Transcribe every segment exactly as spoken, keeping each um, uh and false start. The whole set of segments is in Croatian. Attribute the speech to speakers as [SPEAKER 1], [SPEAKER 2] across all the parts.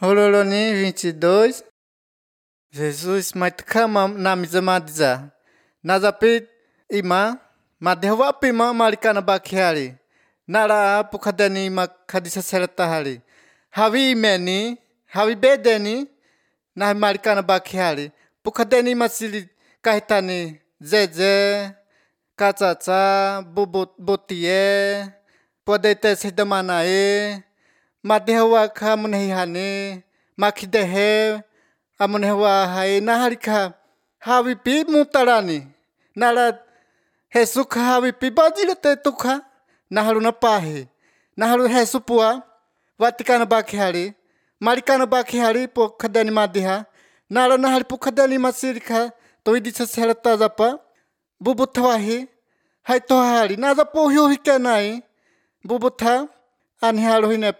[SPEAKER 1] Rololoni vinte e dois. Jesus maitkama na mizamadiza. Nazapi ima madhewa pima malikana bakiari. Nara pukadeni makadisa seratahari. Havi imeni, havi bedeni na malikana bakiari. Pukadeni masili kahitani zeze, katsatsa, botie, podete sedamanae. Madhewa kamunehane, makidehe, amunewa hai naharika, havi pi mutarani, nara hesuka havi pi bajilete tuka, naharu na pahe, naharu hesupua, vatikana bakihari, marikana bakihari po kadani madhiha, nara nahari po kadani masirika, to idisa serata zapa, bubutawahi, hai tohari, naza po hiu hikenai, bubuta, anhiharu hine.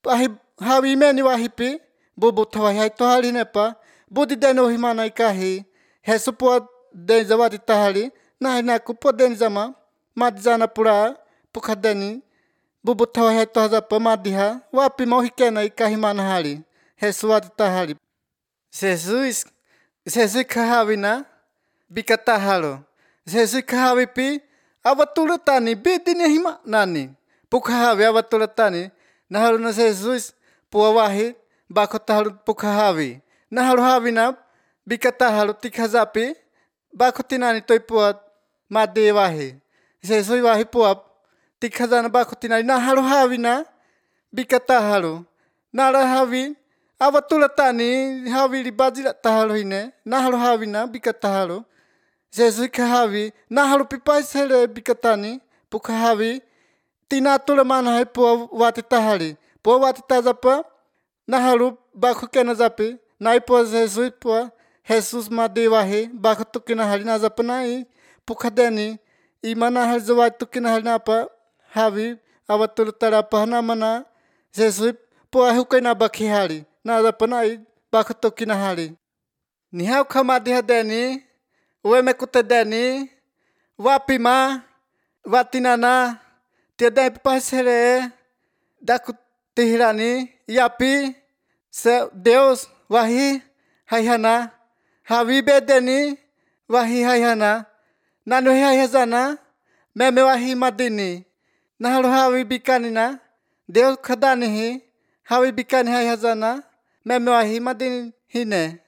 [SPEAKER 1] Ahi hawi meni wahipi bubu tawahi hai tohari nepa budi deno himana ikahi hesupo den zawadi tahari nahi naku po den zama madzana pura pukadeni bubu tawahi hai tohazapa madiha wapi mau hikena ikahi manahari hesuwadi tahari Jesus Jesus kahawina bikatahalo Jesus kahawipi awatulatani bidini hima nani pukahawi awatulatani naharu na Jesus puawahi bakotaharu pukahawi naharu havina bikataharu tikhazapi bakotinani toipua madewahi Jesus wahi pua tikhazana bakotinani naharu havina bikataharu nara havi awatulatani havi libajila taharu hine naharu havina bikataharu Jesus kahawi naharu pipaisele bikatani pukahawi tina tula mana hai po wati tahari po wati tazapa naharu baku kena zapi nai po Jesus po Jesus madewahi baku tukina hari na zapa nai pukadeni imana hari zawai tukina hari napa havi awatul tarapa na mana Jesus po ahukena baki hari na zapa nai baku tukina hari nihau kamadia deni ueme kutedeni wapima watinana tiada pasere daku tihirani yapi se Deus wahi haihana havi bedeni wahi haihana nanu haihazana meme wahi madini naharu havi bikanina Deus khadani hi havi bikani haihazana meme wahi madini hine